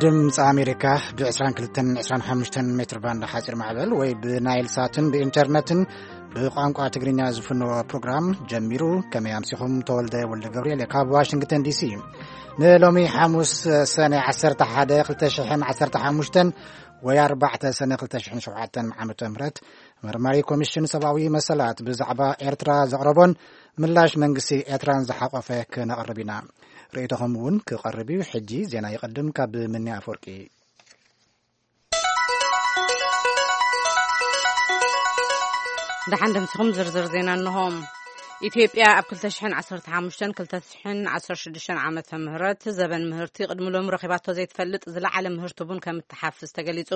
ድምፂ ኣሜሪካ ብ22 25 ሜትር ባንድ ሓፂር ማዕበል ወይ ብናይል ሳትን ብኢንተርነትን ብቋንቋ ትግርኛ ዝፍነዎ ፕሮግራም ጀሚሩ። ከመይ ኣምሲኹም? ተወልደ ወልደ ገብርኤል ካብ ዋሽንግተን ዲሲ። ንሎሚ ሓሙስ ሰነ 11 2015 ወይ 4 ሰነ 2007 ዓመተ ምህረት መርማሪ ኮሚሽን ሰብኣዊ መሰላት ብዛዕባ ኤርትራ ዘቕረቦን ምላሽ መንግስቲ ኤርትራን ዝሓቆፈ ክነቕርብ ኢና። ርእይቶኹም እውን ክቐርብ እዩ። ሕጂ ዜና ይቐድም። ካብ ምኒ ኣፈወርቂ። ደሓን ደምሲኹም ዝርዝር ዜና እንሆ። ኢትዮጵያ ኣብ 2015-2016 ዓመተ ምህረት ዘበን ምህርቲ ቅድሚ ሎሚ ረኺባቶ ዘይትፈልጥ ዝለዓለ ምህርቲ ቡን ከም እትሓፍስ ተገሊጹ።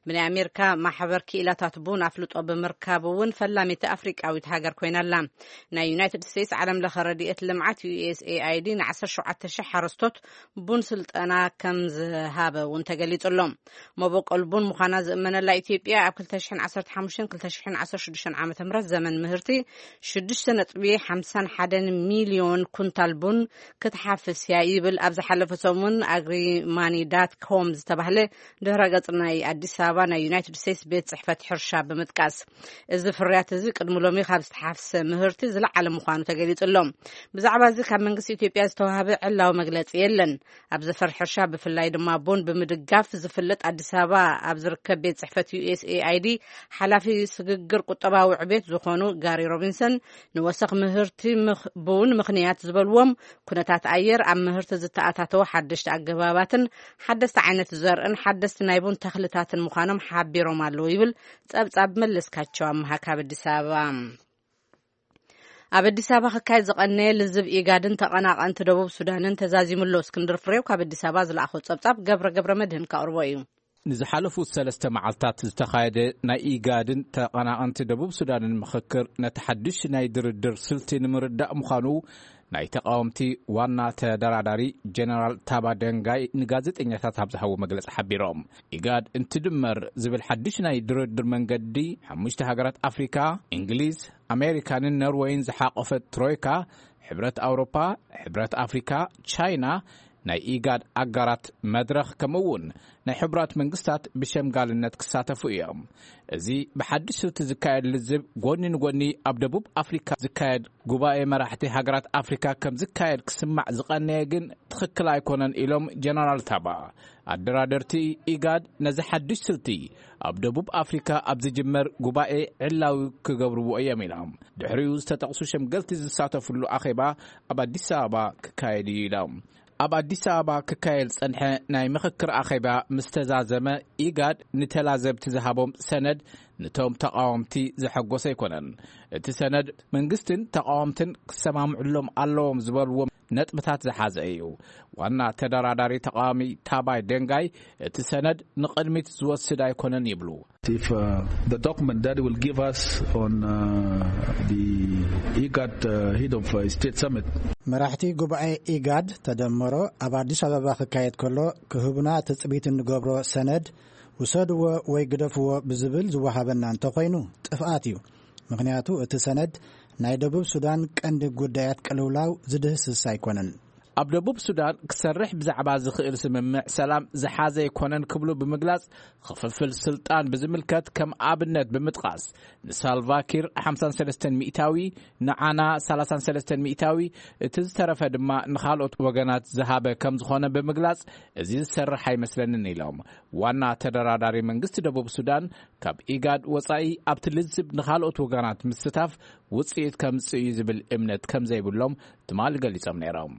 ብናይ ኣሜሪካ ማሕበር ክኢላታት ቡን ኣፍልጦ ብምርካብ እውን ፈላሚቲ ኣፍሪቃዊት ሃገር ኮይና ኣላ። ናይ ዩናይትድ ስቴትስ ዓለም ለኸ ረድኤት ልምዓት ዩ ኤስ ኤ ኣይ ዲ ን17,000 ሓረስቶት ቡን ስልጠና ከም ዝሃበ እውን ተገሊጹ ኣሎ። መበቆል ቡን ምዃና ዝእመነላ ኢትዮጵያ ኣብ 2015-2016 ዓመተ ምህረት ዘመን ምህርቲ 6.51 ሚልዮን ኩንታል ቡን ክትሓፍስ እያ ይብል ኣብ ዝሓለፈ ሰሙን ኣግሪማኒ ዳት ኮም ዝተባህለ ድህረ ገጽ ናይ ኣዲስ ኣበባ ናይ ዩናይትድ ስቴትስ ቤት ጽሕፈት ሕርሻ ብምጥቃስ። እዚ ፍርያት እዚ ቅድሚ ሎሚ ካብ ዝተሓፍሰ ምህርቲ ዝለዓለ ምዃኑ ተገሊጹ ኣሎ። ብዛዕባ እዚ ካብ መንግስቲ ኢትዮጵያ ዝተዋህበ ዕላዊ መግለጺ የለን። ኣብ ዘፈር ሕርሻ ብፍላይ ድማ ቡን ብምድጋፍ ዝፍለጥ ኣዲስ ኣበባ ኣብ ዝርከብ ቤት ጽሕፈት ዩ ኤስ ኤ ኣይ ዲ ሓላፊ ስግግር ቁጠባዊ ዕቤት ዝኾኑ ጋሪ ሮቢንሰን ንወሰኽ ምህርቲ ምኽ-፣ ቡን ምኽንያት ዝበልዎም ኩነታት ኣየር፣ ኣብ ምህርቲ ዝተኣታተወ ሓደሽቲ ኣገባባትን ሓደስቲ ዓይነት ዘርእን ሓደስቲ ናይ ቡን ተኽልታትን ምዃኖም ሓቢሮም ኣለዉ ይብል ጸብጻብ መለስካቸው ኣምሃ ካብ ኣዲስ ኣበባ። ኣብ ኣዲስ ኣበባ ክካየድ ዝቐነየ ልዝብ ኢጋድን ተቐናቐንቲ ደቡብ ሱዳንን ተዛዚሙ ኣሎ። እስክንድር ፍሬው ካብ ኣዲስ ኣበባ ዝለኣኾ ጸብጻብ ገብረ ገብረ መድህን ከቕርቦ እዩ። ንዝሓለፉ ሰለስተ መዓልታት ዝተኻየደ ናይ ኢጋድን ተቐናቐንቲ ደቡብ ሱዳንን ምኽክር ነቲ ሓድሽ ናይ ድርድር ስልቲ ንምርዳእ ምዃኑ ናይ ተቃወምቲ ዋና ተደራዳሪ ጀነራል ታባ ደንጋይ ንጋዜጠኛታት ኣብ ዝሃቦ መግለጺ ሓቢሮም። ኢጋድ እንትድመር ዝብል ሓድሽ ናይ ድርድር መንገዲ ሓሙሽተ ሃገራት ኣፍሪካ፣ እንግሊዝ፣ ኣሜሪካንን ኖርወይን ዝሓቆፈት ትሮይካ፣ ሕብረት ኣውሮፓ፣ ሕብረት ኣፍሪካ፣ ቻይና፣ ናይ ኢጋድ ኣጋራት መድረኽ ከምኡ እውን ናይ ሕቡራት መንግስታት ብሸምጋልነት ክሳተፉ እዮም። እዚ ብሓድሽ ስልቲ ዝካየድ ልዝብ ጎኒ ንጎኒ ኣብ ደቡብ ኣፍሪካ ዝካየድ ጉባኤ መራሕቲ ሃገራት ኣፍሪካ ከም ዝካየድ ክስማዕ ዝቐነየ ግን ትኽክል ኣይኮነን ኢሎም ጀነራል ታባ። ኣደራደርቲ ኢጋድ ነዚ ሓድሽ ስልቲ ኣብ ደቡብ ኣፍሪካ ኣብ ዝጅመር ጉባኤ ዕላዊ ክገብርዎ እዮም ኢሎም። ድሕሪኡ ዝተጠቕሱ ሸምገልቲ ዝሳተፍሉ ኣኼባ ኣብ ኣዲስ ኣበባ ክካየድ እዩ ኢሎም። ኣብ ኣዲስ ኣበባ ክካየድ ዝጸንሐ ናይ ምኽክር ኣኼባ ምስ ተዛዘመ፣ ኢጋድ ንተላዘብቲ ዝሃቦም ሰነድ ንቶም ተቃወምቲ ዘሐጎሰ ኣይኮነን። እቲ ሰነድ መንግስትን ተቃወምትን ክሰማምዕሎም ኣለዎም ዝበልዎም ነጥብታት ዝሓዘ እዩ። ዋና ተደራዳሪ ተቃዋሚ ታባይ ደንጋይ እቲ ሰነድ ንቕድሚት ዝወስድ ኣይኮነን ይብሉ። If uh, the document that will give us on uh, the IGAD uh, head of uh, state summit. መራሕቲ ጉባኤ ኢጋድ ተደመሮ ኣብ ኣዲስ ኣበባ ክካየድ ከሎ ክህቡና ትጽቢት እንገብሮ ሰነድ ውሰድዎ ወይ ግደፍዎ ብዝብል ዝወሃበና እንተኾይኑ ጥፍኣት እዩ። ምኽንያቱ እቲ ሰነድ ናይ ደቡብ ሱዳን ቀንዲ ጉዳያት ቅልውላው ዝድህስስ ኣይኮነን። ኣብ ደቡብ ሱዳን ክሰርሕ ብዛዕባ ዝኽእል ስምምዕ ሰላም ዝሓዘ ኣይኮነን ክብሉ ብምግላጽ፣ ክፍፍል ስልጣን ብዝምልከት ከም ኣብነት ብምጥቃስ፣ ንሳልቫኪር 53%፣ ንዓና 33%፣ እቲ ዝተረፈ ድማ ንኻልኦት ወገናት ዝሃበ ከም ዝኾነ ብምግላጽ፣ እዚ ዝሰርሕ ኣይመስለንን ኢሎም። ዋና ተደራዳሪ መንግስቲ ደቡብ ሱዳን ካብ ኢጋድ ወጻኢ ኣብቲ ልዝብ ንኻልኦት ወገናት ምስታፍ ውጽኢት ከምጽእ እዩ ዝብል እምነት ከም ዘይብሎም ትማሊ ገሊጾም ነይሮም።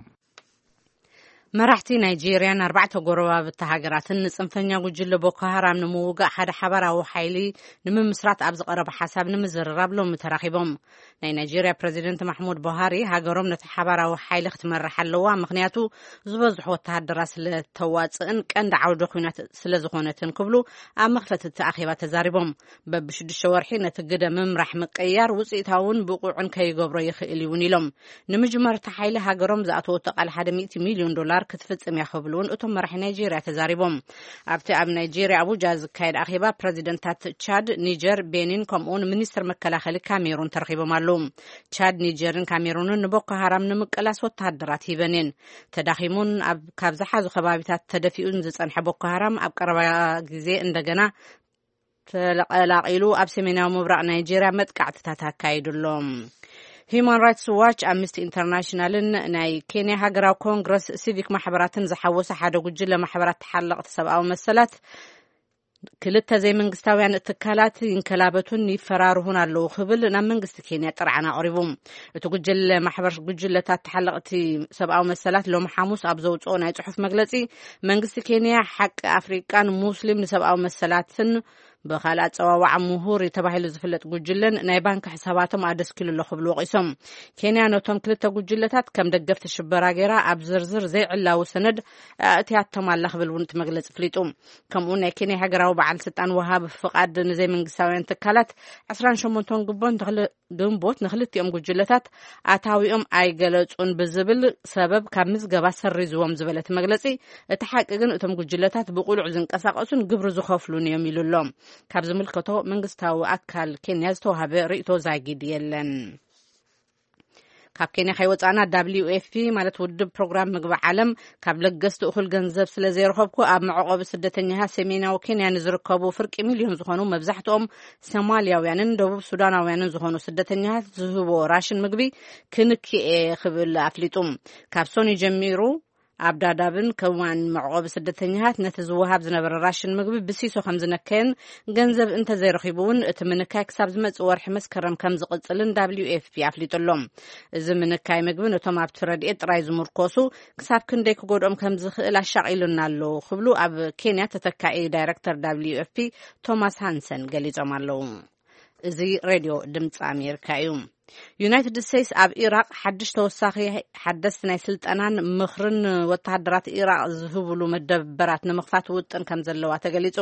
መራሕቲ ናይጄርያን ኣርባዕተ ጎረባብቲ ሃገራትን ንጽንፈኛ ጉጅለ ቦኮ ሃራም ንምውጋእ ሓደ ሓባራዊ ሓይሊ ንምምስራት ኣብ ዝቐረበ ሓሳብ ንምዝርራብ ሎሚ ተራኺቦም። ናይ ናይጄርያ ፕረዚደንት ማሕሙድ ቡሃሪ ሃገሮም ነቲ ሓባራዊ ሓይሊ ክትመርሕ ኣለዋ፣ ምኽንያቱ ዝበዝሑ ወተሃደራት ስለተዋጽእን ቀንዲ ዓውደ ኲናት ስለዝኾነትን ክብሉ ኣብ መኽፈቲ እቲ ኣኼባ ተዛሪቦም። በብሽዱሽተ ወርሒ ነቲ ግደ ምምራሕ ምቅያር ውጽኢታውን ብቑዕን ከይገብሮ ይኽእል እውን ኢሎም። ንምጅመር እቲ ሓይሊ ሃገሮም ዝኣተወቶ ቃል ሓደ ሚእቲ ሚልዮን ዶላር ምጽንባር ክትፍጽም እያ ክብሉ እውን እቶም መራሒ ናይጄርያ ተዛሪቦም። ኣብቲ ኣብ ናይጄርያ ኣቡጃ ዝካየድ ኣኼባ ፕረዚደንታት ቻድ፣ ኒጀር፣ ቤኒን ከምኡውን ሚኒስትር መከላኸሊ ካሜሩን ተረኺቦም ኣለዉ። ቻድ፣ ኒጀርን ካሜሩንን ንቦኮ ሃራም ንምቅላስ ወተሃደራት ሂበን እየን። ተዳኺሙን ኣብ ካብ ዝሓዙ ከባቢታት ተደፊኡን ዝጸንሐ ቦኮ ሃራም ኣብ ቀረባ ግዜ እንደገና ተቀላቂሉ ኣብ ሰሜናዊ ምብራቕ ናይጄርያ መጥቃዕትታት ኣካይዱ ኣሎ። ሂዩማን ራይትስ ዋች፣ ኣምነስቲ ኢንተርናሽናልን ናይ ኬንያ ሃገራዊ ኮንግረስ ሲቪክ ማሕበራትን ዝሓወሰ ሓደ ጉጅለ ማሕበራት ተሓለቕቲ ሰብኣዊ መሰላት ክልተ ዘይመንግስታውያን ትካላት ይንከላበቱን ይፈራርሁን ኣለዉ ክብል ናብ መንግስቲ ኬንያ ጥርዓን ኣቕሪቡ። እቲ ጉጅለ ማሕበር ጉጅለታት ተሓለቕቲ ሰብኣዊ መሰላት ሎም ሓሙስ ኣብ ዘውፅኦ ናይ ጽሑፍ መግለጺ፣ መንግስቲ ኬንያ ሓቂ ኣፍሪቃን ሙስሊም ንሰብኣዊ መሰላትን ብኻልእ ኣጸዋውዓ ምሁር ተባሂሉ ዝፍለጥ ጉጅለን ናይ ባንክ ሕሳባቶም ኣደስኪሉ ኣሎ ክብሉ ወቒሶም። ኬንያ ነቶም ክልተ ጉጅለታት ከም ደገፍቲ ሽበራ ገይራ ኣብ ዝርዝር ዘይዕላዊ ሰነድ ኣእትያቶም ኣላ ክብል እውን እቲ መግለጺ ኣፍሊጡ። ከምኡ ናይ ኬንያ ሃገራዊ በዓል ስልጣን ወሃብ ፍቓድ ንዘይመንግስታውያን ትካላት ዕስራን ሸሞንተን ግንቦት ንክል- ግንቦት ንክልቲኦም ጉጅለታት ኣታዊኦም ኣይገለጹን ብዝብል ሰበብ ካብ ምዝገባ ሰሪዝዎም ዝበለ እቲ መግለጺ፣ እቲ ሓቂ ግን እቶም ጉጅለታት ብቁሉዕ ዝንቀሳቐሱን ግብሪ ዝኸፍሉን እዮም ኢሉ ኣሎ። ካብ ዝምልከቶ መንግስታዊ ኣካል ኬንያ ዝተዋሃበ ርእይቶ ዛጊድ የለን። ካብ ኬንያ ከይወጻና፣ ደብሊው ኤፍ ፒ ማለት ውድብ ፕሮግራም ምግቢ ዓለም፣ ካብ ለገስቲ እኹል ገንዘብ ስለ ዘይረኸብኩ ኣብ መዕቆቢ ስደተኛታት ሰሜናዊ ኬንያ ንዝርከቡ ፍርቂ ሚልዮን ዝኾኑ መብዛሕትኦም ሶማልያውያንን ደቡብ ሱዳናውያንን ዝኾኑ ስደተኛታት ዝህቦ ራሽን ምግቢ ክንክኤ ክብል ኣፍሊጡ። ካብ ሶኒ ጀሚሩ ኣብ ዳዳብን ከዋን መዕቆቢ ስደተኛታት ነቲ ዝወሃብ ዝነበረ ራሽን ምግቢ ብሲሶ ከም ዝነከየን ገንዘብ እንተዘይረኺቡ እውን እቲ ምንካይ ክሳብ ዝመጽእ ወርሒ መስከረም ከም ዝቕጽልን ደብሊው ኤፍ ፒ ኣፍሊጡ ኣሎ። እዚ ምንካይ ምግቢ ነቶም ኣብቲ ረድኤት ጥራይ ዝምርኮሱ ክሳብ ክንደይ ክጎድኦም ከም ዝኽእል ኣሻቒሉና ኣሎ ክብሉ ኣብ ኬንያ ተተካኢ ዳይረክተር ደብሊው ኤፍ ፒ ቶማስ ሃንሰን ገሊጾም ኣለዉ። እዚ ሬድዮ ድምፂ ኣሜሪካ እዩ። ዩናይትድ ስቴትስ ኣብ ኢራቕ ሓድሽ ተወሳኺ ሓደስቲ ናይ ስልጠናን ምኽርን ወተሃደራት ኢራቕ ዝህብሉ መደበራት ንምኽፋት ውጥን ከም ዘለዋ ተገሊጹ።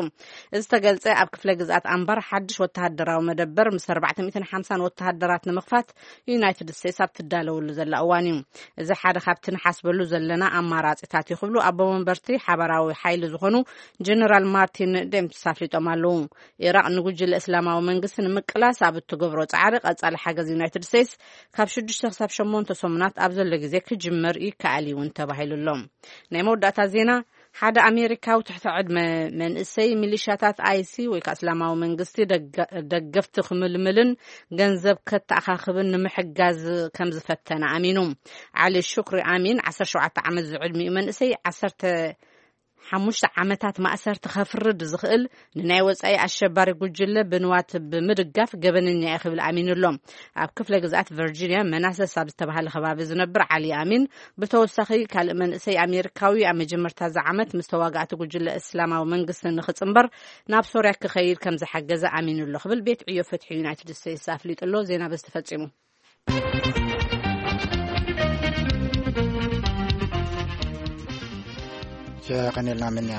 እዚ ተገልጸ ኣብ ክፍለ ግዝኣት ኣምባር ሓድሽ ወተሃደራዊ መደበር ምስ ኣርባዕተ ሚእትን ሓምሳን ወተሃደራት ንምኽፋት ዩናይትድ ስቴትስ ኣብ ትዳለወሉ ዘላ እዋን እዩ። እዚ ሓደ ካብቲ ንሓስበሉ ዘለና ኣማራጺታት እዩ ክብሉ ኣቦ መንበርቲ ሓባራዊ ሓይሊ ዝኾኑ ጀነራል ማርቲን ዴምፕስ ኣፍሊጦም ኣለዉ። ኢራቕ ንጉጅለ እስላማዊ መንግስቲ ንምቅላስ ኣብ እትገብሮ ጻዕሪ ቀጻሊ ሓገዝ ዩናይትድ ስቴትስ ካብ ሽዱሽተ ክሳብ ሸሞንተ ሰሙናት ኣብ ዘሎ ግዜ ክጅመር ይከኣል እዩ እውን ተባሂሉ ኣሎ። ናይ መወዳእታ ዜና፣ ሓደ ኣሜሪካዊ ትሕቲ ዕድመ መንእሰይ ሚሊሻታት ኣይሲ ወይ ከዓ እስላማዊ መንግስቲ ደገ- ደገፍቲ ክምልምልን ገንዘብ ከተኣኻኽብን ንምሕጋዝ ከም ዝፈተነ ኣሚኑ። ዓሊ ሹክሪ ኣሚን፣ ዓሰርተ ሸውዓተ ዓመት ዝዕድሚኡ መንእሰይ፣ ዓሰርተ ሓሙሽተ ዓመታት ማእሰርቲ ከፍርድ ዝኽእል ንናይ ወጻኢ ኣሸባሪ ጉጅለ ብንዋት ብምድጋፍ ገበነኛ እየ ክብል ኣሚኑ ኣሎ። ኣብ ክፍለ ግዝኣት ቨርጂንያ መናሰስ ኣብ ዝተባህለ ከባቢ ዝነብር ዓሊ ኣሚን፣ ብተወሳኺ ካልእ መንእሰይ ኣሜሪካዊ ኣብ መጀመርታ እዚ ዓመት ምስ ተዋጋእቲ ጉጅለ እስላማዊ መንግስቲ ንኽጽንበር ናብ ሶርያ ክኸይድ ከም ዝሓገዘ ኣሚኑ ኣሎ ክብል ቤት ዕዮ ፍትሒ ዩናይትድ ስቴትስ ኣፍሊጡ ኣሎ። ዜና በዚ ተፈጺሙ። የቐኔልና ምንያ።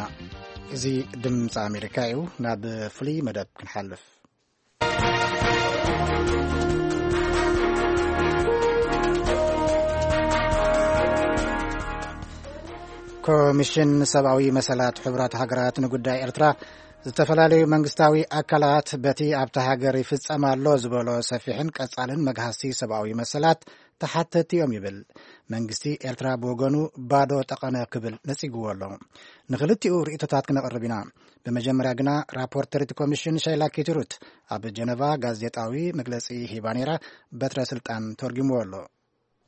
እዚ ድምፂ ኣሜሪካ እዩ። ናብ ፍሉይ መደብ ክንሓልፍ። ኮሚሽን ሰብኣዊ መሰላት ሕቡራት ሃገራት ንጉዳይ ኤርትራ፣ ዝተፈላለዩ መንግስታዊ ኣካላት በቲ ኣብታ ሃገር ይፍጸም ኣሎ ዝበሎ ሰፊሕን ቀጻልን መግሃስቲ ሰብኣዊ መሰላት ተሓተቲ እዮም ይብል። መንግስቲ ኤርትራ ብወገኑ ባዶ ጠቐነ ክብል ነጺግዎ ኣሎ። ንክልቲኡ ርእይቶታት ክነቕርብ ኢና። ብመጀመርያ ግና ራፖርተሪት ኮሚሽን ሸይላ ኪትሩት ኣብ ጀነቫ ጋዜጣዊ መግለጺ ሂባ ነይራ። በትረ ስልጣን ተርጉምዎ ኣሎ።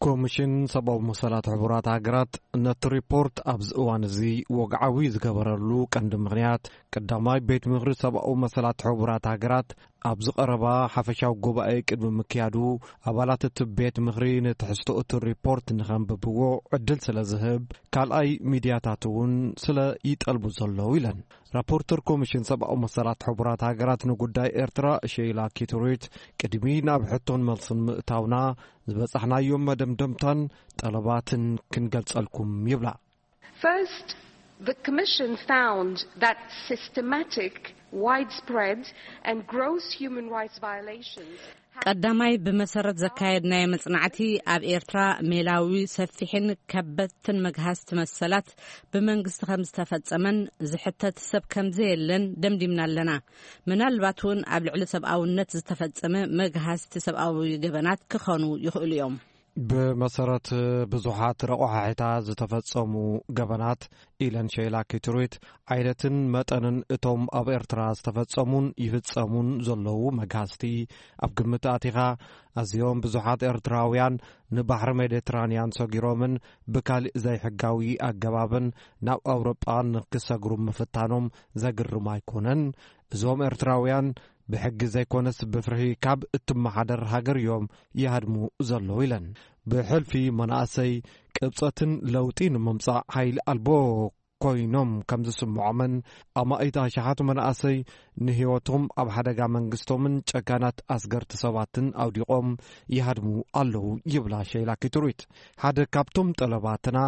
ኮሚሽን ሰብኣዊ መሰላት ሕቡራት ሃገራት ነቲ ሪፖርት ኣብዚ እዋን እዚ ወግዓዊ ዝገበረሉ ቀንዲ ምኽንያት፣ ቀዳማይ ቤት ምኽሪ ሰብኣዊ መሰላት ሕቡራት ሃገራት ኣብዚ ቀረባ ሓፈሻዊ ጉባኤ ቅድሚ ምክያዱ፣ ኣባላት እቲ ቤት ምኽሪ ንትሕዝቶ እቲ ሪፖርት ንኸንብብዎ ዕድል ስለ ዝህብ፣ ካልኣይ ሚድያታት እውን ስለ ይጠልቡ ዘለዉ ኢለን። ራፖርተር ኮሚሽን ሰብኣዊ መሰላት ሕቡራት ሃገራት ንጉዳይ ኤርትራ ሼይላ ኪትሩት፣ ቅድሚ ናብ ሕቶን መልስን ምእታውና፣ ዝበጻሕናዮም መደምደምታን ጠለባትን ክንገልጸልኩም ይብላ። First, The Commission found that systematic, widespread, and gross human rights violations. ቀዳማይ፣ ብመሰረት ዘካየድናዮ መጽናዕቲ፣ ኣብ ኤርትራ ሜላዊ፣ ሰፊሕን ከበድትን መግሃስቲ መሰላት ብመንግስቲ ከም ዝተፈጸመን ዝሕተት ሰብ ከም ዘየለን ደምዲምና ኣለና። ምናልባት እውን ኣብ ልዕሊ ሰብኣውነት ዝተፈጸመ መግሃስቲ ሰብኣዊ ገበናት ክኾኑ ይኽእሉ እዮም። ብመሰረት ብዙሓት ረቋሒታት ዝተፈጸሙ ገበናት ኢለን ሸይላ ኪትሩት፣ ዓይነትን መጠንን እቶም ኣብ ኤርትራ ዝተፈጸሙን ይፍጸሙን ዘለዉ መግሃስቲ ኣብ ግምት ኣቲኻ፣ ኣዝዮም ብዙሓት ኤርትራውያን ንባሕሪ ሜዲትራንያን ሰጊሮምን ብካሊእ ዘይሕጋዊ ኣገባብን ናብ ኣውሮጳ ንክሰግሩ ምፍታኖም ዘግርም ኣይኮነን። እዞም ኤርትራውያን ብሕጊ ዘይኮነስ ብፍርሂ ካብ እትመሓደር ሃገር እዮም ይሃድሙ ዘለዉ ኢለን። ብሕልፊ መናእሰይ ቅብጸትን ለውጢ ንምምጻእ ሓይሊ ኣልቦ ኮይኖም ከም ዝስምዖምን፣ ኣማኢት ኣሽሓት መናእሰይ ንህይወቶም ኣብ ሓደጋ መንግስቶምን ጨካናት ኣስገርቲ ሰባትን ኣውዲቖም ይሃድሙ ኣለዉ ይብላ ሸይላ ኪትሩት። ሓደ ካብቶም ጠለባትና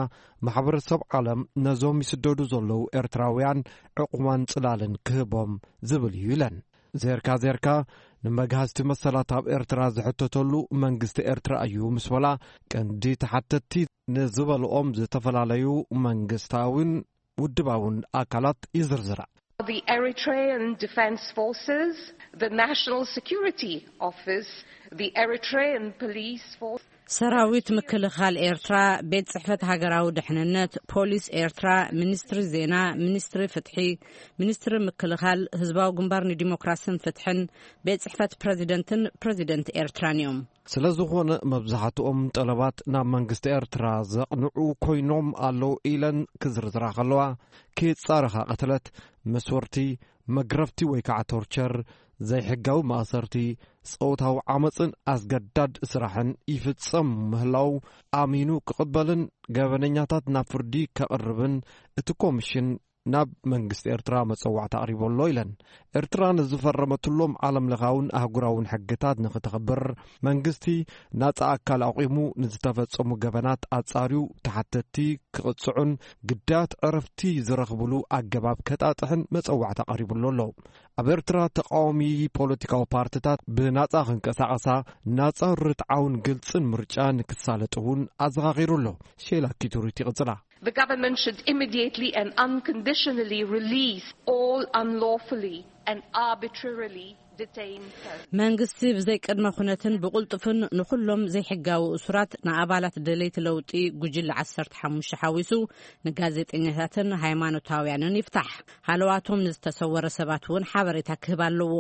ማሕበረሰብ ዓለም ነዞም ይስደዱ ዘለዉ ኤርትራውያን ዕቑማን ጽላልን ክህቦም ዝብል እዩ ኢለን። ዜርካ ዜርካ ንመግሃስቲ መሰላት ኣብ ኤርትራ ዝሕተተሉ መንግስቲ ኤርትራ እዩ ምስ በላ፣ ቀንዲ ተሓተትቲ ንዝበልኦም ዝተፈላለዩ መንግስታዊን ውድባውን ኣካላት ይዝርዝራ። The Eritrean Defense Forces, the National Security Office, the Eritrean Police Force. ሰራዊት ምክልኻል ኤርትራ፣ ቤት ጽሕፈት ሃገራዊ ድሕንነት፣ ፖሊስ ኤርትራ፣ ሚኒስትሪ ዜና፣ ሚኒስትሪ ፍትሒ፣ ሚኒስትሪ ምክልኻል፣ ህዝባዊ ግንባር ንዲሞክራስን ፍትሕን፣ ቤት ጽሕፈት ፕረዚደንትን ፕረዚደንት ኤርትራን እዮም። ስለ ዝኾነ መብዛሕትኦም ጠለባት ናብ መንግስቲ ኤርትራ ዘቕንዑ ኮይኖም ኣለዉ ኢለን ክዝርዝራ ከለዋ፣ ከየጻረኻ ቅትለት፣ መስወርቲ፣ መግረፍቲ ወይ ከዓ ቶርቸር፣ ዘይሕጋዊ ማእሰርቲ፣ ጾታዊ ዓመፅን ኣስገዳድ ስራሕን ይፍጸም ምህላው ኣሚኑ ክቕበልን ገበነኛታት ናብ ፍርዲ ከቕርብን እቲ ኮሚሽን ናብ መንግስቲ ኤርትራ መጸዋዕታ ኣቕሪቡ ኣሎ ኢለን። ኤርትራ ንዝፈረመትሎም ዓለም ለኻውን ኣህጉራውን ሕግታት ንኽተኽብር መንግስቲ ናጻ ኣካል ኣቑሙ ንዝተፈጸሙ ገበናት ኣጻርዩ ተሓተትቲ ክቕጽዑን ግዳያት ዕረፍቲ ዝረኽብሉ ኣገባብ ከጣጥሕን መጸዋዕታ ቀሪቡሉ ኣሎ። ኣብ ኤርትራ ተቃዋሚ ፖለቲካዊ ፓርትታት ብናጻ ክንቀሳቐሳ ናጻ ርትዓውን ግልጽን ምርጫ ንክሳለጥ እውን ኣዘኻኺሩ ኣሎ። ሼላ ኪቱሪት ይቕጽላ። The government should immediately and unconditionally release all unlawfully and arbitrarily detained persons. መንግስቲ ብዘይ ቅድመ ኩነትን ብቕልጡፍን ንኹሎም ዘይሕጋዊ እሱራት፣ ንኣባላት ደለይቲ ለውጢ ጉጅለ ዓሰርተ ሓሙሽተ ሓዊሱ፣ ንጋዜጠኛታትን ሃይማኖታውያንን ይፍታሕ። ሃለዋቶም ንዝተሰወረ ሰባት እውን ሓበሬታ ክህብ ኣለዎ።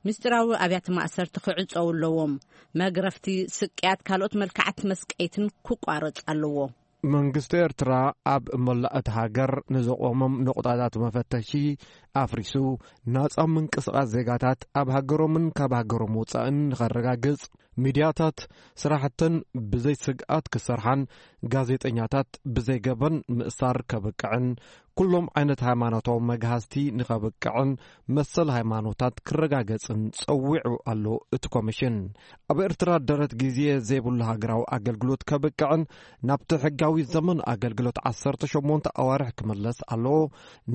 ምስጢራዊ ኣብያተ ማእሰርቲ ክዕጸው ኣለዎም። መግረፍቲ፣ ስቅያት፣ ካልኦት መልክዓት መስቀይትን ክቋረጽ ኣለዎ። መንግስቲ ኤርትራ ኣብ መላእ እቲ ሃገር ንዘቖሞም ነቑጣታት መፈተሺ ኣፍሪሱ፣ ናጻ ምንቅስቓስ ዜጋታት ኣብ ሃገሮምን ካብ ሃገሮም ወጻእን ንኸረጋግጽ፣ ሚድያታት ስራሕተን ብዘይ ስግኣት ክሰርሓን ጋዜጠኛታት ብዘይ ገበን ምእሳር ከብቅዕን፣ ኩሎም ዓይነት ሃይማኖታዊ መግሃስቲ ንኸብቅዕን መሰል ሃይማኖታት ክረጋገጽን ጸዊዑ ኣሎ እቲ ኮሚሽን። ኣብ ኤርትራ ደረት ግዜ ዘይብሉ ሃገራዊ ኣገልግሎት ከብቅዕን ናብቲ ሕጋዊ ዘመን ኣገልግሎት ዓሰርተ ሸሞንተ ኣዋርሕ ክምለስ ኣለዎ።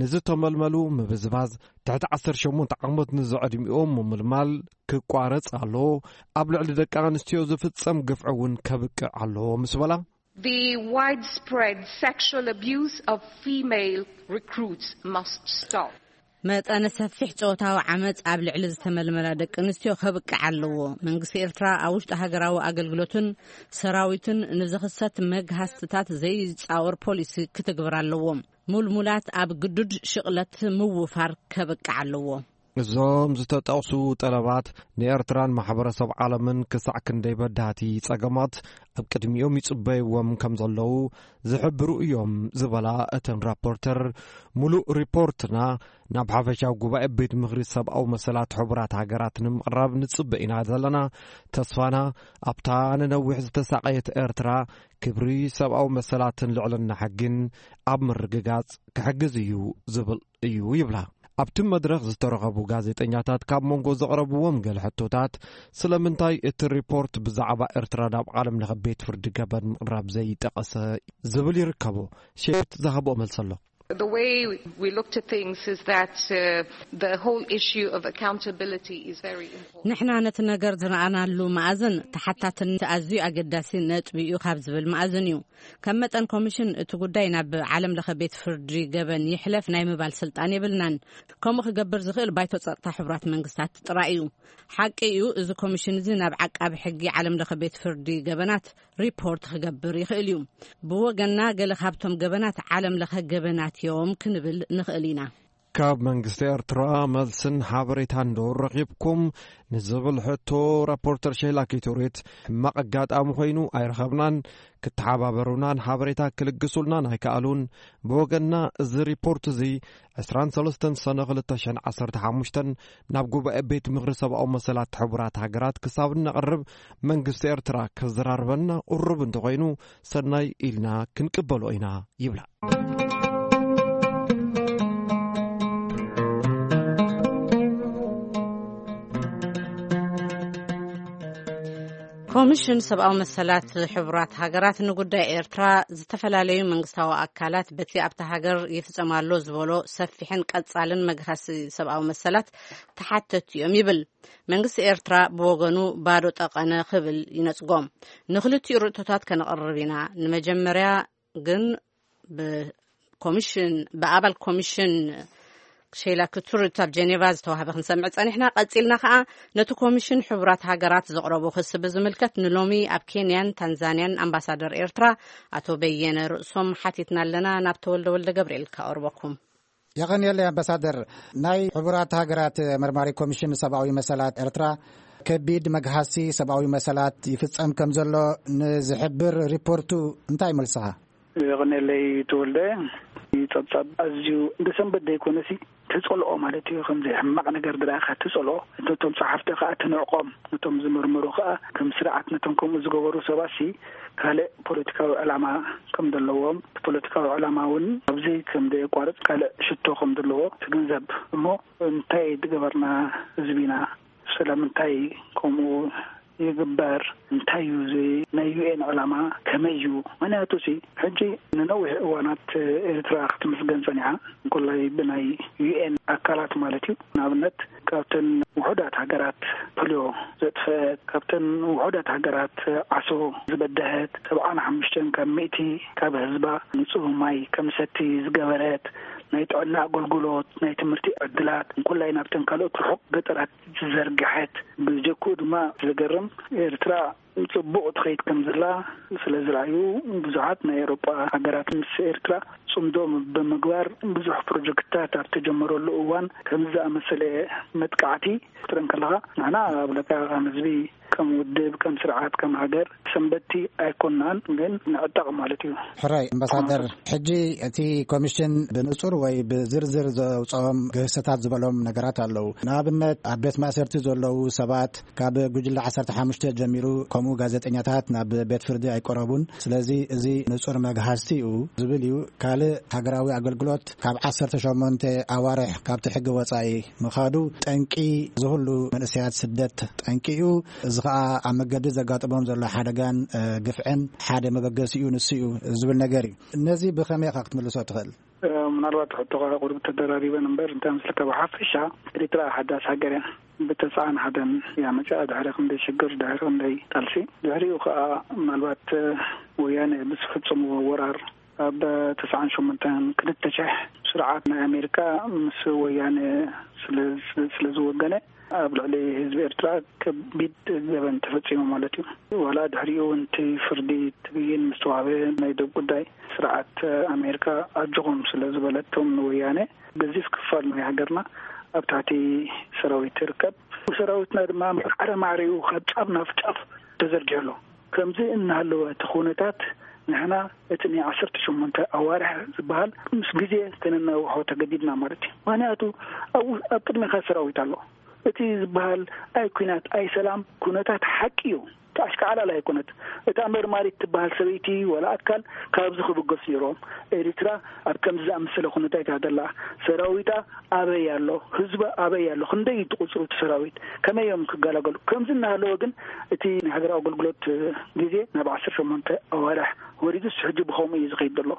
ንዝተመልመሉ ምብዝባዝ፣ ትሕቲ ዓሰርተ ሸሞንተ ዓመት ንዝዕድሚኦም ምምልማል ክቋረጽ ኣለዎ። ኣብ ልዕሊ ደቂ ኣንስትዮ ዝፍጸም ግፍዒ እውን ከብቅዕ ኣለዎ ምስ በላ፣ The widespread sexual abuse of female recruits must stop. መጠነ ሰፊሕ ጾታዊ ዓመጽ ኣብ ልዕሊ ዝተመልመላ ደቂ ኣንስትዮ ከብቅዕ ኣለዎ። መንግስቲ ኤርትራ ኣብ ውሽጢ ሃገራዊ ኣገልግሎትን ሰራዊትን ንዝኽሰት መግሃስትታት ዘይጻወር ፖሊሲ ክትግብር ኣለዎ። ሙልሙላት ኣብ ግዱድ ሽቕለት ምውፋር ከብቅዕ ኣለዎ። እዞም ዝተጠቕሱ ጠለባት ንኤርትራን ማሕበረሰብ ዓለምን ክሳዕ ክንደይ በዳህቲ ጸገማት ኣብ ቅድሚኦም ይጽበይዎም ከም ዘለዉ ዝሕብሩ እዮም ዝበላ እተን ራፖርተር፣ ምሉእ ሪፖርትና ናብ ሓፈሻዊ ጉባኤ ቤት ምኽሪ ሰብኣዊ መሰላት ሕቡራት ሃገራት ንምቕራብ ንጽበ ኢና ዘለና። ተስፋና ኣብታ ንነዊሕ ዝተሳቐየት ኤርትራ ክብሪ ሰብኣዊ መሰላትን ልዕልና ሕግን ኣብ ምርግጋጽ ክሕግዝ እዩ ዝብል እዩ ይብላ። ኣብቲ መድረኽ ዝተረኸቡ ጋዜጠኛታት ካብ መንጎ ዘቕረብዎም ገለ ሕቶታት፣ ስለምንታይ እቲ ሪፖርት ብዛዕባ ኤርትራ ናብ ዓለም ለኸ ቤት ፍርዲ ገበን ምቕራብ ዘይጠቐሰ ዝብል ይርከቦ። ሼት ዝሃቦ መልሲ ኣሎ። The way we look to things is that uh, the whole issue of accountability is very important. ንሕና ነቲ ነገር ዝረኣናሉ መኣዝን ተሓታትነት ኣዝዩ ኣገዳሲ ነጥቢ እዩ ካብ ዝብል መኣዝን እዩ። ከም መጠን ኮሚሽን እቲ ጉዳይ ናብ ዓለም ለኸ ቤት ፍርዲ ገበን ይሕለፍ ናይ ምባል ስልጣን የብልናን። ከምኡ ክገብር ዝኽእል ባይቶ ጸጥታ ሕቡራት መንግስታት ጥራይ እዩ። ሓቂ እዩ፣ እዚ ኮሚሽን እዚ ናብ ዓቃቢ ሕጊ ዓለም ለኸ ቤት ፍርዲ ገበናት ሪፖርት ክገብር ይኽእል እዩ። ብወገንና ገለ ካብቶም ገበናት ዓለም ለኸ ገበናት እዮም ክንብል ንኽእል ኢና። ካብ መንግስቲ ኤርትራ መልስን ሓበሬታን ዶ ረኺብኩም ንዝብል ሕቶ ራፖርተር ሸይላ ኪቱሪት ሕማቕ ኣጋጣሚ ኮይኑ ኣይረኸብናን። ክተሓባበሩናን ሓበሬታ ክልግሱልናን ኣይከኣሉን። ብወገንና እዚ ሪፖርት እዚ ዕስራን ሰለስተን ሰነ ክልተ ሽሕን ዓሰርተ ሓሙሽተን ናብ ጉባኤ ቤት ምኽሪ ሰብኣዊ መሰላት ሕቡራት ሃገራት ክሳብ እነቕርብ መንግስቲ ኤርትራ ክዘራርበና ቁሩብ እንተኾይኑ ሰናይ ኢልና ክንቅበሎ ኢና ይብላ። ኮሚሽን ሰብኣዊ መሰላት ሕቡራት ሃገራት ንጉዳይ ኤርትራ ዝተፈላለዩ መንግስታዊ ኣካላት በቲ ኣብታ ሃገር ይፍጸም ኣሎ ዝበሎ ሰፊሕን ቀጻልን መግሃሲ ሰብኣዊ መሰላት ተሓተቱ እዮም ይብል። መንግስቲ ኤርትራ ብወገኑ ባዶ ጠቐነ ክብል ይነጽጎም። ንክልቲኡ ርእቶታት ከነቕርብ ኢና። ንመጀመርያ ግን ብኮሚሽን ብኣባል ኮሚሽን ሼላ ክቱርት ኣብ ጀኔቫ ዝተዋህበ ክንሰምዕ ጸኒሕና። ቀጺልና ከኣ ነቲ ኮሚሽን ሕቡራት ሃገራት ዘቕረቦ ክሲ ብዝምልከት ንሎሚ ኣብ ኬንያን ታንዛንያን ኣምባሳደር ኤርትራ ኣቶ በየነ ርእሶም ሓቲትና ኣለና። ናብ ተወልደ ወልደ ገብርኤል ከቕርበኩም። የቐንየለይ ኣምባሳደር። ናይ ሕቡራት ሃገራት መርማሪ ኮሚሽን ሰብኣዊ መሰላት ኤርትራ ከቢድ መግሃሲ ሰብኣዊ መሰላት ይፍጸም ከም ዘሎ ንዝሕብር ሪፖርቱ እንታይ መልስኻ? የቐንየለይ ተወልደ። ጸብጻብ ኣዝዩ እንደ ሰንበት ዘይኮነሲ ተጸልኦ ማለት እዩ። ከምዚ ሕማቕ ነገር ድረኣኻ ተጸልኦ፣ ነቶም ጸሓፍቲ ከኣ ትንዕቆም፣ ነቶም ዝምርምሩ ከኣ ከም ስርዓት ነቶም ከምኡ ዝገበሩ ሰባትሲ ካልእ ፖለቲካዊ ዕላማ ከም ዘለዎም፣ እቲ ፖለቲካዊ ዕላማ እውን ኣብዚ ከም ዘየቋርጽ ካልእ ሽቶ ከም ዘለዎ ትግንዘብ። እሞ እንታይ ዝገበርና ህዝቢና? ስለምንታይ ከምኡ ይግበር? እንታይ እዩ እዚ ናይ ዩ ኤን ዕላማ? ከመይ እዩ? ምኽንያቱ ሲ ሕጂ ንነዊሕ እዋናት ኤርትራ ክትምስገን ጸኒሓ፣ እንኮላይ ብናይ ዩ ኤን ኣካላት ማለት እዩ። ንኣብነት ካብተን ውሑዳት ሃገራት ፖሊዮ ዘጥፈአት፣ ካብተን ውሑዳት ሃገራት ዓሶ ዝበደሀት፣ ሰብዓን ሓሙሽተን ካብ ሚእቲ ካብ ህዝባ ንጹህ ማይ ከምሰቲ ዝገበረት፣ ናይ ጥዕና ኣገልግሎት፣ ናይ ትምህርቲ ዕድላት፣ እንኮላይ ናብተን ካልኦት ርሑቕ ገጠራት ዝዘርግሐት፣ ብጀክኡ ድማ ዘገርም ኤርትራ ጽቡቕ ትኸይድ ከም ዘላ ስለ ዝረኣዩ፣ ብዙሓት ናይ ኤውሮጳ ሃገራት ምስ ኤርትራ ጽምዶ ብምግባር ብዙሕ ፕሮጀክትታት ኣብ ተጀመረሉ እዋን ከምዚ ዝኣመሰለ መጥቃዕቲ ክትርኢ እንከለኻ፣ ንሕና ኣብ ለካ ከም ህዝቢ፣ ከም ውድብ፣ ከም ስርዓት፣ ከም ሃገር ሰንበቲ ኣይኮናን፣ ግን ንዕጠቕ ማለት እዩ። ሕራይ ኣምባሳደር፣ ሕጂ እቲ ኮሚሽን ብንጹር ወይ ብዝርዝር ዘውጽኦም ግህሰታት ዝበሎም ነገራት ኣለዉ። ንኣብነት ኣብ ቤት ማእሰርቲ ዘለዉ ሰባት ካብ ጉጅለ ዓሰርተ ሓሙሽተ ጀሚሩ፣ ከምኡ ጋዜጠኛታት ናብ ቤት ፍርዲ ኣይቀረቡን። ስለዚ እዚ ንጹር መግሃስቲ እዩ ዝብል እዩ። ካልእ ሃገራዊ ኣገልግሎት ካብ ዓሰርተ ሸሞንተ ኣዋርሕ ካብቲ ሕጊ ወጻኢ ምኻዱ ጠንቂ ዝህሉ መንእሰያት ስደት ጠንቂ እዩ። እዚ ኸኣ ኣብ መገዲ ዘጋጥሞም ዘሎ ሓደጋን፣ እ፣ ግፍዕን ሓደ መበገሲኡ ንሱ እዩ ዝብል ነገር እዩ። ነዚ ብኸመይ ኢኻ ክትምልሶ ትኽእል? እ፣ ምናልባት ሕቶኻ ቁሩብ ተደራሪበን እምበር፣ እንታይ መስለካ፣ ብሓፈሻ ኤርትራ ሓዳስ ሃገር እያ። ብተስዓን ሓደን እያ መጺኣ፣ ድሕሪ ክንደይ ሽግር፣ ድሕሪ ክንደይ ቃልሲ። ድሕሪኡ ኸኣ ምናልባት፣ እ፣ ወያነ ብዝፈጸምዎ ወራር ኣብ ተስዓን ሸሞንተን ክልተ ሽሕ ስርዓት ናይ ኣሜሪካ ምስ ወያነ ስለ፣ ስለ ዝወገነ ኣብ ልዕሊ ህዝቢ ኤርትራ ከቢድ ገበን ተፈጺሙ ማለት እዩ። ዋላ ድሕሪኡ እውን እቲ ፍርዲ ትብይን ምስ ተዋህበ ናይ ደብ ጉዳይ ስርዓት ኣሜሪካ ኣጆኹም ስለ ዝበለቶም ንወያነ ገዚፍ ክፋል ናይ ሃገርና ኣብ ትሕቲ ሰራዊት ትርከብ። ሰራዊትና ድማ ማዕረ ማዕሪኡ ካብ ጫፍ ናብ ጫፍ ተዘርጊሑ ኣሎ። ከምዚ እናሃለወ እቲ ኩነታት ንሕና እቲ ናይ ዓሰርተ ሸሞንተ ኣዋርሕ ዝበሃል ምስ ግዜ ከነናውሖ ተገዲድና ማለት እዩ። ምኽንያቱ ኣብኡ ኣብ ቅድሜኻ ሰራዊት ኣሎ። እቲ ዝበሃል ኣይ ኲናት ኣይ ሰላም ኩነታት ሓቂ እዩ። ኣሽካዕላል ኣይኮነት። እታ መርማሪት ትበሃል ሰበይቲ ዋላ ኣካል ካብዚ ክብገሱ ነይሮም። ኤርትራ ኣብ ከምዚ ዝኣመሰለ ኩነታት እያ ዘላ። ሰራዊታ ኣበይ ኣሎ? ህዝባ ኣበይ ኣሎ? ክንደይ እዩ እቲ ቁጽሩ እቲ ሰራዊት? ከመይ እዮም ክገላገሉ? ከምዚ እናሃለወ ግን እቲ ናይ ሃገራዊ ኣገልግሎት ግዜ ናብ ዓሰርተ ሸሞንተ ኣዋርሕ ወሪዱስ ሕጂ ብኸምኡ እዩ ዝኸይድ ዘሎ።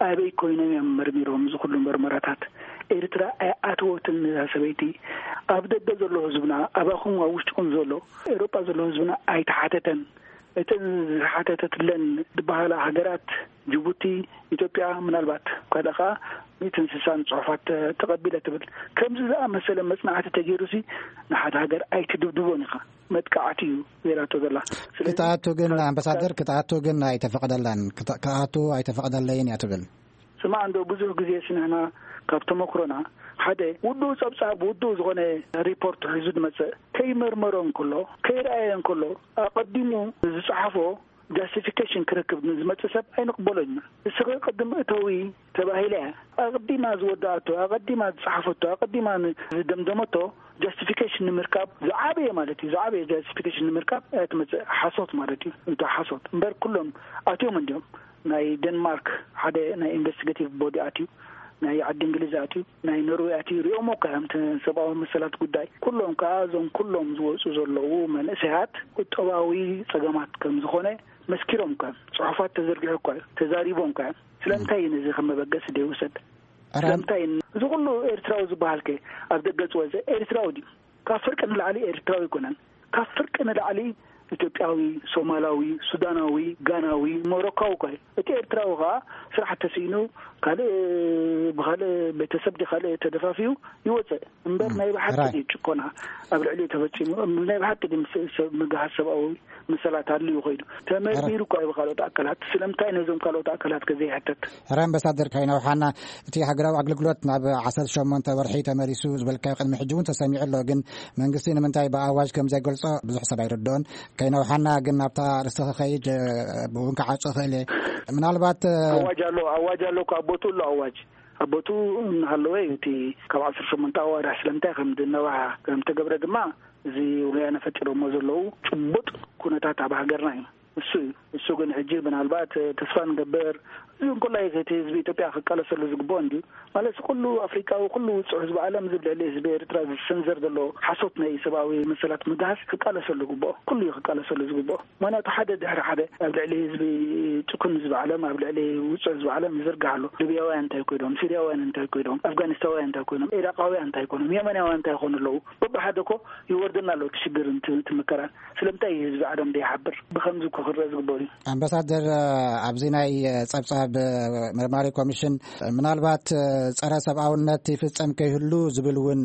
ኣበይ ኮይኖም እዮም መርሚሮም እዚ ኩሉ መርመራታት? ኤርትራ ኣይኣተወትን እዛ ሰበይቲ። ኣብ ደገ ዘሎ ህዝብና፣ ኣባኹም ኣብ ውሽጥኹም ዘሎ ኤውሮጳ ዘሎ ህዝብና ኣይተሓተተን። እተን ዝሓተተትለን ዝበሃላ ሃገራት ጅቡቲ፣ ኢትዮጵያ፣ ምናልባት ካልእ ኸዓ ሚእትን ስሳን ጽሑፋት ተቐቢለ ትብል። ከምዚ ዝኣመሰለ መጽናዕቲ ተገይሩሲ ንሓደ ሃገር ኣይትድብድቦን ኢኻ። መጥቃዕቲ እዩ ገይራቶ ዘላ። ስለዚ ክትኣቱ ግን ካብ ኣምባሳደር ክትኣቱ ግን ኣይተፈቕደላን። ክት- ክኣቱ ኣይተፈቕደለይን እያ ትብል። ስማዕ እንዶ ብዙሕ ግዜ ስንሕና ካብ ተመክሮና ሓደ ውዱእ ጸብጻብ ውዱእ ዝኾነ ሪፖርት ሒዙ ዝመጽእ ከይመርመሮ እንከሎ ከይረኣየ እንከሎ ኣቐዲሙ ዝጸሓፎ ጃስቲፊኬሽን ክረክብ ንዝመጽእ ሰብ ኣይንቕበሎን ኢና። እስኺ ቅድም እተዊ ተባሂለ እያ። ኣቐዲማ ዝወዳኣቶ፣ ኣቐዲማ ዝጸሓፈቶ፣ ኣቐዲማ ን- ዝደምደመቶ ጃስቲፊኬሽን ንምርካብ ዝዓበየ ማለት እዩ። ዝዓበየ ጃስቲፊኬሽን ንምርካብ እያ ትመጽእ። ሓሶት ማለት እዩ። እቶ ሓሶት እምበር ኩሎም ኣትዮም እንዲዮም። ናይ ዴንማርክ ሓደ ናይ ኢንቨስቲጌቲቭ ቦዲ ኣትዩ፣ ናይ ዓዲ እንግሊዝ ኣትዩ፣ ናይ ኖርዌይ ኣትዩ። ሪኦሞ እኳ እዮም እቲ ሰብኣዊ መሰላት ጉዳይ። ኩሎም ከኣ እዞም ኩሎም ዝወጹ ዘለዉ መንእሰያት ቁጠባዊ ጸገማት ከም ዝኾነ መስኪሮም እኳ እዮም። ጽሑፋት ተዘርጊሑ እኳ እዩ። ተዛሪቦም እኳ እዮም። ስለምንታይ እዩ ነዚ ከም መበገሲ ዘይውሰድ? ሕራይ ስለምንታይ እዩ? እዚ ኩሉ ኤርትራዊ ዝበሃል ከ ኣብ ደገ ዝወጸ ኤርትራዊ ድዩ? ካብ ፍርቂ ንላዕሊ ኤርትራዊ ኣይኮነን። ካብ ፍርቂ ንላዕሊ ኢትዮጵያዊ፣ ሶማላዊ፣ ሱዳናዊ፣ ጋናዊ፣ ሞሮካዊ እኳ እዩ። እቲ ኤርትራዊ ከኣ ስራሕ ተስኢኑ ካልእ ብኻልእ ቤተሰብ ድዩ ካልእ ተደፋፊኡ ይወጽእ እምበር ናይ ብሓቂ ሕራይ ድዩ ጭቆና ኣብ ልዕሊኡ ተፈጺሙ? ናይ ብሓቂ ድዩ ምስ- ሰብ- ምግሃስ ሰብኣዊ መሰላት ኣልዩ ከይዱ ተመርሚሩ እኳ እዩ ብካልኦት ኣካላት። ስለምንታይ ነዞም ካልኦት ኣካላት ከ ዘይሕተት? ሕራይ ኣምባሳደር ካይናውሓና፣ እቲ ሃገራዊ ኣገልግሎት ናብ ዓሰርተ ሸሞንተ ወርሒ ተመሊሱ ዝበልካዮ ቅድሚ ሕጂ እውን ተሰሚዑ ኣሎ። ግን መንግስቲ ንምንታይ ብኣዋጅ ከም ዘይገልጾ ብዙሕ ሰብ ኣይርድኦን። ከይነውሓና ግን ናብታ ርእስቲ ክኸይድ እውን ክዓጹ ክእል እየ። ምናልባት ኣዋጅ ኣሎ፣ ኣዋጅ ኣሎ እኮ ኣብ ቦትኡ ኣሎ ኣዋጅ ኣብ ቦትኡ እናሃለወ እዩ እቲ ካብ ዓሰርተ ሸሞንተ ኣዋርሕ ስለምንታይ ከም ዝነውሓ ከም ተገብረ ድማ እዚ ወያነ ፈጢሮሞ ዘለዉ ጭቡጥ ኩነታት ኣብ ሃገርና እዩ። እሱ እዩ። እሱ ግን ሕጂ ምናልባት ተስፋ ንገብር እዚ እንኮላይ እቲ ህዝቢ ኢትዮጵያ ክቃለሰሉ ዝግብኦ እንድዩ። ማለት ኩሉ ኣፍሪቃዊ ኩሉ ውፅዕ ህዝቢ ዓለም እዚ ልዕሊ ህዝቢ ኤርትራ ዝሰንዘር ዘሎ ሓሶት ናይ ሰብኣዊ መሰላት ምግሃስ ክቃለሰሉ ዝግብኦ ኩሉ እዩ ክቃለሰሉ ዝግብኦ። ምክንያቱ ሓደ ድሕሪ ሓደ ኣብ ልዕሊ ህዝቢ ጭኩን ህዝቢ ዓለም ኣብ ልዕሊ ውፅዕ ህዝቢ ዓለም ይዝርጋሕ ኣሎ። ሊብያውያን እንታይ ኮይኖም? ሲርያውያን እንታይ ኮይኖም? ኣፍጋኒስታውያን እንታይ ኮይኖም? ኢራቃውያን እንታይ ኮይኖም? የመናውያን እንታይ ይኾኑ ኣለዉ? በብሓደ እኮ ይወርደና ኣሎ እቲ ሽግር እቲ መከራን። ስለምንታይ ህዝቢ ዓለም ዘይሓብር? ብኸምዚ እኮ ክረአ ዝግበሩ እዩ። ኣምባሳደር፣ ኣብዚ ናይ ጸብጻብ መርማሪ ኮሚሽን ምናልባት ጸረ ሰብኣውነት ይፍጸም ከይህሉ ዝብል እውን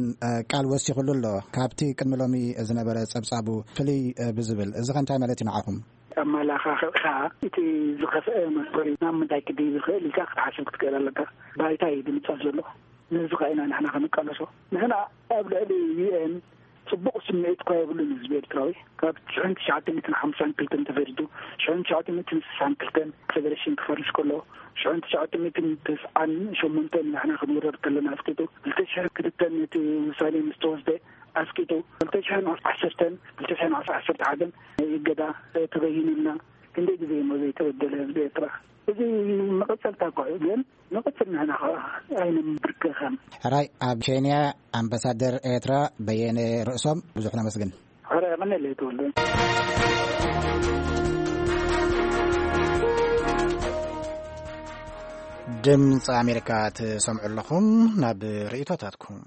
ቃል ወሲኹሉ ኣሎ። ካብቲ ቅድሚ ሎሚ ዝነበረ ጸብጻቡ ፍልይ ብዝብል፣ እዚ ከ እንታይ ማለት እዩ ንዓኹም? ኣመላኻኽዕኻ እቲ ዝኸፍአ መስመር ናብ ምንታይ ክድይ ዝኽእል ኢልካ ክትሓስብ ክትክእል ኣለካ። ባይታ እዩ ድምጻት ዘሎ። ነዚ ኸኣ ኢና ንሕና ክንቃለሶ። ንሕና ኣብ ልዕሊ ዩ ኤን ጽቡቕ ስምዒት እኳ የብሉን ህዝቢ ኤርትራዊ። ካብ ሽሕን ትሽዓተ ሚእትን ሓምሳን ክልተን ተፈሪዱ፣ ሽሕን ትሽዓተ ሚእትን ስሳን ክልተን ፌደሬሽን ክፈርስ ከሎ፣ ሽሕን ትሽዓተ ሚእትን ተስዓን ሸሞንተን ንሕና ክንውረር ከለና ኣስቂጡ፣ ክልተ ሽሕን ክልተን እቲ ውሳኔ ምስ ተወስደ ኣስቂጡ፣ ክልተ ሽሕን ዓሰርተን ክልተ ሽሕን ዓሰርተ ሓደን ናይ እገዳ ተበይኑልና። ክንደይ ግዜ እሞ ዘይተበደለ ህዝቢ ኤርትራ። እዚ መቐጸልታ እኳ እዩ፣ ግን ንቐጽል ንሕና ኸኣ ኣይንብርከኸን። ሕራይ ኣብ ኬንያ ኣምባሳደር ኤርትራ በየነ ርእሶም ብዙሕ ነመስግን። ሕራይ ቀኒለይ ተወልደ። ድምፂ ኣሜሪካ ትሰምዑ ኣለኹም። ናብ ርእይቶታትኩም።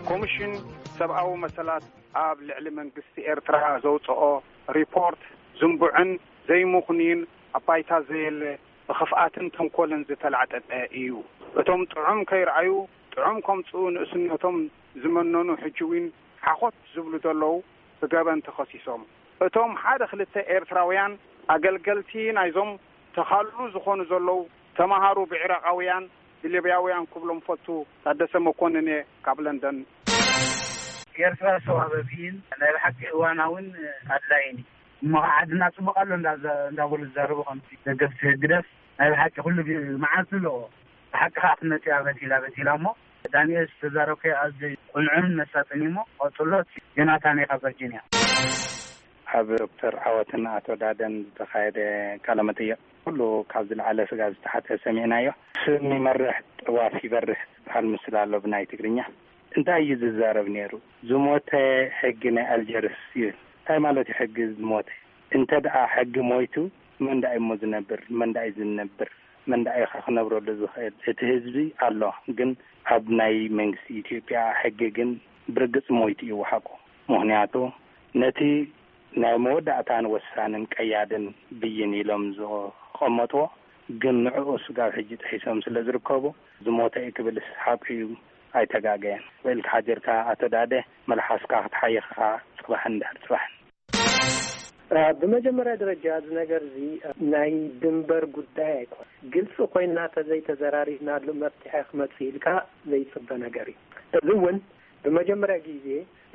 ኮሚሽን ሰብኣዊ መሰላት ኣብ ልዕሊ መንግስቲ ኤርትራ ዘውጽኦ ሪፖርት ዝንቡዕን ዘይምኽኑይን ኣብ ባይታ ዘየለ ብኽፍኣትን ተንኮልን ዝተላዕጠጠ እዩ። እቶም ጥዑም ከይረኣዩ ጥዑም ከምጽኡ ንእስነቶም ዝመነኑ ሕጂ እውን ሓኾት ዝብሉ ዘለዉ ብገበን ተኸሲሶም። እቶም ሓደ ክልተ ኤርትራውያን ኣገልገልቲ ናይዞም ተኻሉ ዝኾኑ ዘለዉ ተማሃሩ ብዒራቓውያን ብሊብያውያን ክብሎም ፈቱ። ታደሰ መኮንን እየ ካብ ለንደን። ኤርትራ ሰብኣዊ መብይን ናይ ብሓቂ እዋናውን ኣድላይን እዩ። እሞ ከዓ ዓድና ጽቡቕ ኣሎ እንዳ-፣ እንዳበሉ ዝዛረቡ ከምቲ ደገፍቲ ህግደፍ ናይ ብሓቂ ኩሉ ግ-፣ መዓልቲ ኣለዎ። ብሓቂ ከዓ ክነጽያ በቲላ በቲላ እሞ ዳንኤል ዝተዛረብካዮ ኣዝዩ ቁንዑን መሳጥን እዩ። እሞ ቀጽሎ። ዮናታን እየ ካብ ቨርጂንያ። ኣብ ዶክተር ዓወትን ኣቶ ዳደን ዝተኻየደ ቃለ መጠይቕ ኩሉ ካብ ዝለዓለ ስጋ ዝተሓተ ሰሚዕናዮ። ስም ይመርሕ ጥዋፍ ይበርህ ዝበሃል ምስል ኣሎ ብናይ ትግርኛ። እንታይ እዩ ዝዛረብ ነይሩ? ዝሞተ ሕጊ ናይ ኣልጀርስ ይብል። እንታይ ማለት እዩ ሕጊ ዝሞተ? እንተ ደኣ ሕጊ ሞይቱ መን ደኣ እሞ ዝነብር? መን ደኣ እዩ ዝነብር? መን ደኣ እዩ ክነብረሉ ዝኽእል? እቲ ህዝቢ ኣሎ፣ ግን ኣብ ናይ መንግስቲ ኢትዮጵያ ሕጊ ግን ብርግጽ ሞይቱ እዩ ሓቁ። ምኽንያቱ ነቲ ናይ መወዳእታን ወሳንን ቀያድን ብይን ኢሎም ዝቐመጥዎ፣ ግን ንዕኡ ስጋብ ሕጂ ጥሒሶም ስለ ዝርከቡ፣ ዝሞተ እዩ ክብልስ ሓቁ እዩ፣ ኣይተጋገየን። ውዒልካ ሓዲርካ ኣቶ ዳደ፣ መልሓስካ ክትሓይኽ ኢኻ፣ ጽባሕን ድሕሪ ጽባሕን። እ፣ ብመጀመርያ ደረጃ እዚ ነገር እዚ፣ እ፣ ናይ ድንበር ጉዳይ ኣይኮነን። ግልፂ ኮይና ተዘይተዘራሪብናሉ መፍትሒ ክመፅእ ኢልካ ዘይፅበ ነገር እዩ። እዚ እውን ብመጀመርያ ግዜ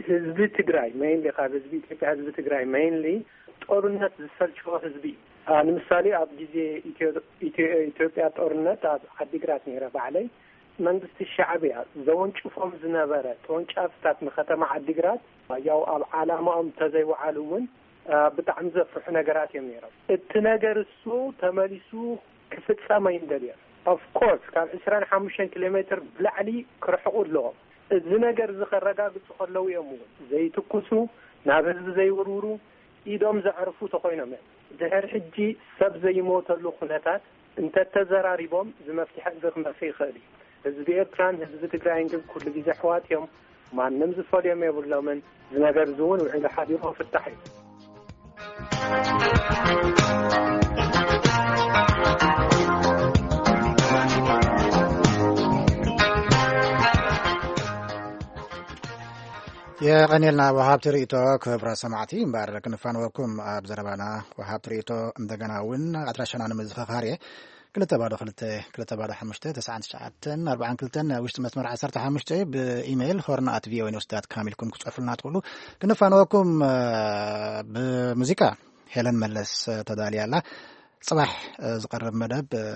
ህዝቢ ትግራይ፣ ሜይንሊ ካብ ህዝቢ ኢትዮጵያ፣ ህዝቢ ትግራይ ሜይንሊ ጦርነት ዝሰልቸዎ ህዝቢ እዩ። አ፣ ንምሳሌ ኣብ ግዜ ኢትዮ-፣ ኢትዮ-፣ ኢትዮጵያ ጦርነት ኣብ ዓዲግራት ነይረ ባዕለይ። መንግስቲ ሻዕብያ ዘወንጭፎም ዝነበረ ተወንጫፍታት ንከተማ ዓዲግራት፣ ያው ኣብ ዓላማኦም ተዘይወዓሉ እውን፣ አ፣ ብጣዕሚ ዘፍርሑ ነገራት እዮም ነይሮም። እቲ ነገር እሱ ተመሊሱ ክፍጸም ኣይንደልዮን። ኦፍ ኮርስ ካብ ዕስራን ሓሙሽተን ኪሎ ሜትር ብላዕሊ ክርሕቁ ኣለዎም። እዚ ነገር እዚ ከረጋግጹ ከለዉ እዮም እውን ዘይትኩሱ፣ ናብ ህዝቢ ዘይውርውሩ፣ ኢዶም ዘዕርፉ ተኾይኖም እዮም። ድሕሪ ሕጂ ሰብ ዘይሞተሉ ኩነታት እንተተዘራሪቦም እዚ መፍትሒ እዚ ክመጽእ ይኽእል እዩ። ህዝቢ ኤርትራን ህዝቢ ትግራይን ግን ኩሉ ግዜ ኣሕዋት እዮም። ማንም ዝፈልዮም የብሎምን። እዚ ነገር እዚ እውን ውዒሉ ሓዲሩ ክፍታሕ እዩ። የቐንየልና ወሃብቲ ርእይቶ። ክብራ ሰማዕቲ እምበር ክንፋንወኩም ኣብ ዘረባና ወሃብቲ ርእይቶ እንደገና እውን ኣድራሻና ንምዝኽኻር እየ። ክልተ ባዶ ክልተ፣ ክልተ ባዶ ሓሙሽተ፣ ተስዓን ትሽዓተን ኣርባዓን ክልተን፣ ውሽጢ መስመር ዓሰርተ ሓሙሽተ፣ ብኢሜይል ሆርን ኣት ቪኦኤ ኒውስ ዳት ካም ኢልኩም ክጽሕፉልና ትኽእሉ። ክንፋንወኩም፣ እ፣ ብሙዚቃ ሄለን መለስ፣ እ፣ ተዳልያ ኣላ። ጽባሕ፣ እ፣ ዝቐርብ መደብ፣ እ፣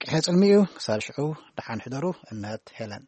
ቅሐ ጽልሚ እዩ። ክሳብ ሽዑ ደሓን ሕደሩ። እነሀት ሄለን።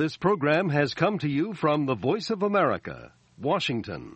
This program has come to you from the Voice of America, Washington.